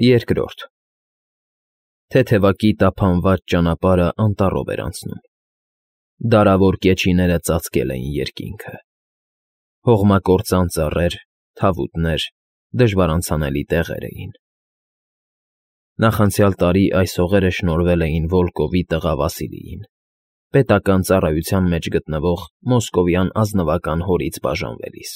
Երկրորդ Թեթևակի տափանված ճանապարհը անտառով էր անցնում։ Դարավոր կեչիները ծածկել էին երկինքը։ Հողմակործան ծառեր, թավուտներ, դժվար անցանելի տեղեր էին։ Նախանցյալ տարի այս հողերը շնորհվել էին Վոլկովի տղա Վասիլիին, պետական ծառայության մեջ գտնվող մոսկովյան ազնվական հորից բաժանվելիս։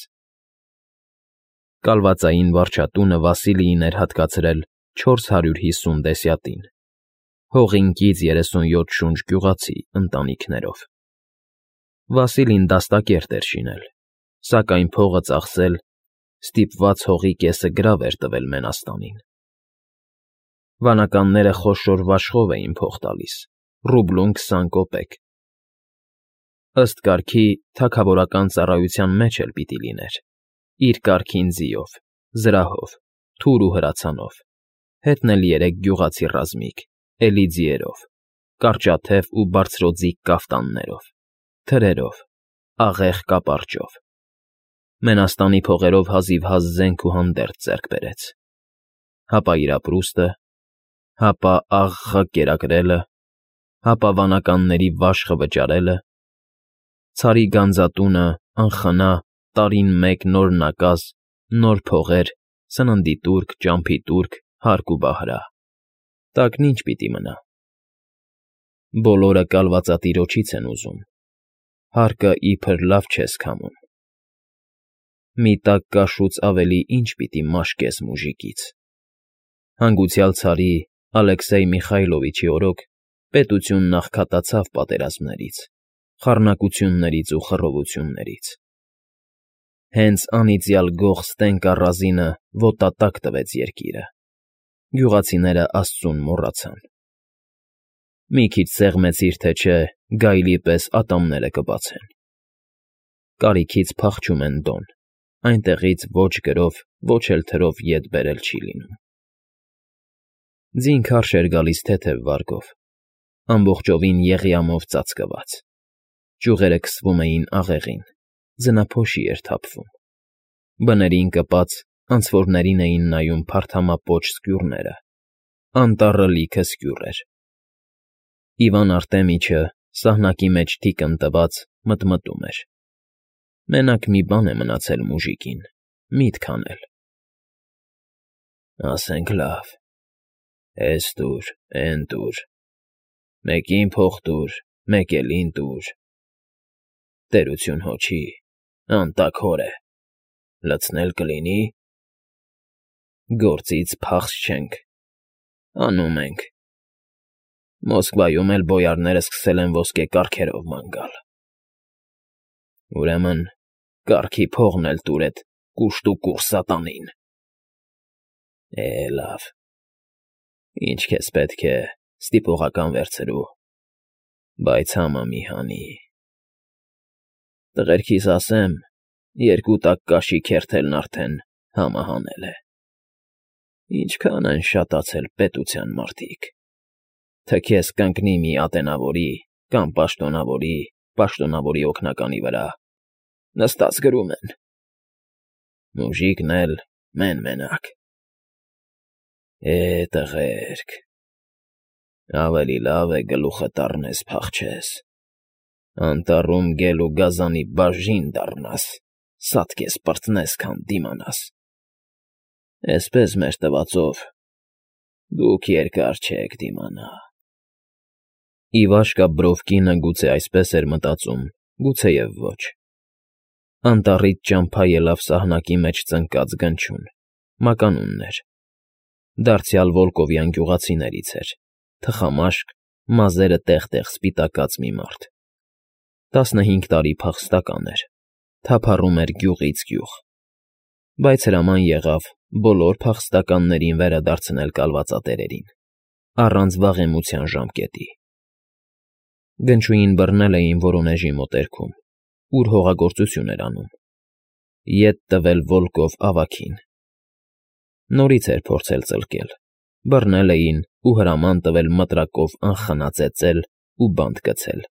Կալվածային վարչատունը Վասիլիին էր հատկացրել 450 դեսյատին, հողինքից 37 շունչ գյուղացի ընտանիքներով։ Վասիլին դաստակերտ էր շինել, սակայն փողը ծախսել, ստիպված հողի կեսը գրավ էր տվել Մենաստանին։ Վանականները խոշոր վաշխով էին փող տալիս, ռուբլուն 20 կոպեկ։ Ըստ կարգի թագավորական ծառայության մեջ էլ պիտի լիներ, իր կարգին ձիով, զրահով, թուր ու հրացանով, հետնել 3 գյուղացի ռազմիկ, էլի ձիերով, կարճաթև ու բարձրոձիգ կաֆտաններով, թրերով, աղեղ կապարճով։ Մենաստանի փողերով հազիվհազ զենք ու հանդերձ ձեռք բերեց, հապա իր ապրուստը, հապա աղղ կերակրելը, հապա վանականների վաշխը վճարելը, ցարի գանձատունը, անխնա, տարին մեկ նոր նակազ, նոր փողեր, սննդի տուրք, ճամփի տուրք, հարկ ու բահրա, տակն ինչ պիտի մնա։ Բոլորը կալվածատիրոջից են ուզում, հարկը իբր լավ չես քամում։ Մի տակ կաշուց ավելի ինչ պիտի մաշկես մուժիկից։ Հանգուցյալ ցարի Ալեքսեյ Միխայլովիչի օրոք պետությունն աղքատացավ պատերազմներից, խառնակություններից ու խռովություններից։ Հենց անիծյալ գող Ստենկա Ռազինը ոտատակ տվեց երկիրը, գյուղացիները աստծուն մոռացան։ Մի քիչ սեղմեցիր թե չէ, գայլի պես ատամները կբացեն։ Կարիքից փախչում են դոն, այնտեղից ոչ գրով, ոչ էլ թրով ետ բերել չի լինում։ Ձին քարշ էր գալիս թեթև վարգով, ամբողջովին եղիամով ծածկված։ Ճյուղերը քսվում էին աղեղին, ձնափոշի էր թափվում։ Բներին կպած անցորդներին էին նայում փարթամապոչ սկյուռները, անտառը լիքը սկյուռ էր։ Իվան Արտեմիչը, սահնակի մեջ թիկն տված, մտմտում էր. մենակ մի բան է մնացել մուժիկին, միտք անել։ Ասենք լավ, էս տուր, էն տուր, մեկին փող տուր, մեկ էլին տուր, տերություն հոչի, անտակ հոր է, լցնել կլինի, գործից փախչ չենք, անում ենք, Մոսկվայում էլ բոյարները սկսել են ոսկե կառքերով ման գալ։ Ուրեմն կառքի փողն էլ տուր էդ կուշտ ու կուռ սատանին։ Լավ, ինչ քեզ պետք է, ստիպողական վերցրու, բայց համը մի հանի։ Տղերքիս ասեմ, 2 տակ կաշի քերթելն արդեն համը հանել է։ Ինչքան են շատացել պետության մարդիկ։ Թքես կընկնի մի ատենավորի կամ պաշտոնավորի օգնականի վրա, նստած գրում են։ Մուժիկն էլ մեն֊մենակ։ Տղերք, ավելի լավ է գլուխդ առնես փախչես, անտառում գել ու գազանի բաժին դառնաս, սատկես պրծնես, քան դիմանաս։ Էսպես մեր տվածով դուք երկար չեք դիմանա։ Իվաշկա Բրովկինը գուցե այսպես էր մտածում, գուցեև ոչ։ Անտառից ճամփա ելավ սահնակի մեջ ծնկած գնչուն, մականուններ։ Դարձյալ Վոլկովյան գյուղացիներից էր, թխամաշկ, մազերը տեղ֊տեղ սպիտակած մի մարդ։ 15 տարի փախստական էր, թափառում էր գյուղից գյուղ, բայց հրաման եղավ բոլոր փախստականներին վերադարձնել կալվածատերերին, առանց վաղեմության ժամկետի։ Գնչուին բռնել էին Վորոնեժի մոտերքում, ուր հողագործություն էր անում, ետ տվել Վոլկով ավագին։ Նորից էր փորձել ծլկել, բռնել էին ու հրաման տվել մտրակով անխնա ծեծել ու բանտ գցել,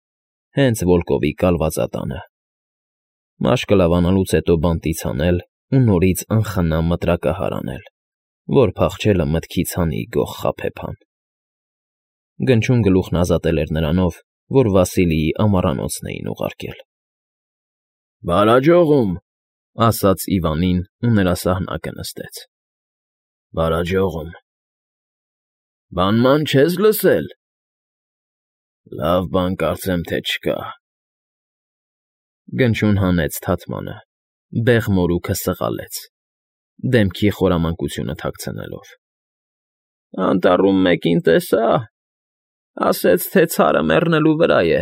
հենց Վոլկովի կալվածատանը։ Մաշկը լավանալուց հետո բանտից հանել ու նորից անխնա մտրակահար անել, որ փախչելը մտքից հանի գող խաբեբան։ Գնչուն գլուխն ազատել էր նրանով, որ Վասիլիի ամառանոցն էին ուղարկել։ «Բարաջողում», ասաց Իվանին ու նրա սահնակը նստեց։ «Բարաջողում։ Բանման չես լսել»։ «Լավ բան կարծեմ թե չկա»։ Գնչուն հանեց թաթմանը, բեղ մորուքը սղալեց, դեմքի խորամանկությունը թաքցնելով։ «Անտառում մեկին տեսա, ասեց, թե ցարը մեռնելու վրա է»։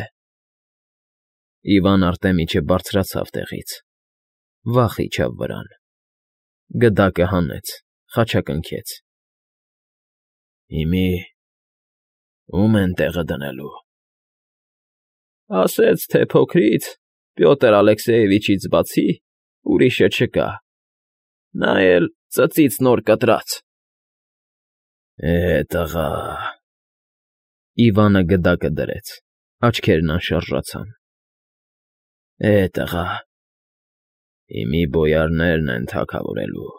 Իվան Արտեմիչը բարձրացավ տեղից, վախ իջավ վրան, գդակը հանեց, խաչակնքեց։ «Հիմի ո՞ւմ են տեղը դնելու»։ Ասեց, թե փոքրից, Պյոտր Ալեքսեևիչից բացի, ուրիշը չկա, նա էլ ծծից նոր կտրած։ Տղա… Իվանը գդակը դրեց, աչքերն անշարժացան։ Տղա… Հիմի բոյարներն են թագավորելու։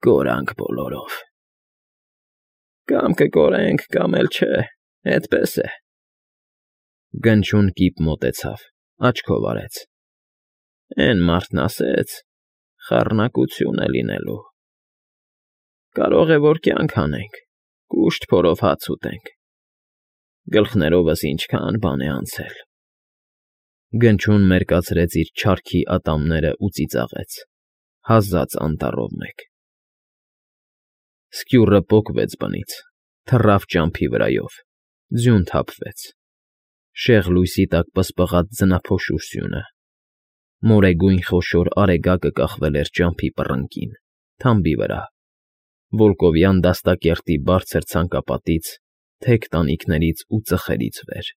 Կորանք բոլորով։ Կամ կկորենք, կամ էլ չէ, էդպես է։ Գնչուն կիպ մոտեցավ, աչքով արեց։ Էն մարդն ասեց, խառնակություն է լինելու։ Կարող է, որ կյանք հանենք, կուշտ փորով հաց ուտենք։ Գլխներովս ինչքան բան է անցել։ Գնչուն մերկացրեց իր չարքի ատամներն ու ծիծաղեց, հազաց անտառով մեկ։ Սկյուռը պոկվեց բնից, թռավ ճամփի վրայով, ձյուն թափվեց։ Շեղ լույսի տակ պսպղաց ձնափոշու սյունը։ Մորեգույն խոշոր արեգակը կախվել էր ճամփի պռնկին, թամբի վրա, վոլկովյան դաստակերտի բարձր ցանկապատից, թեք տանիքներից ու ծխերից վեր։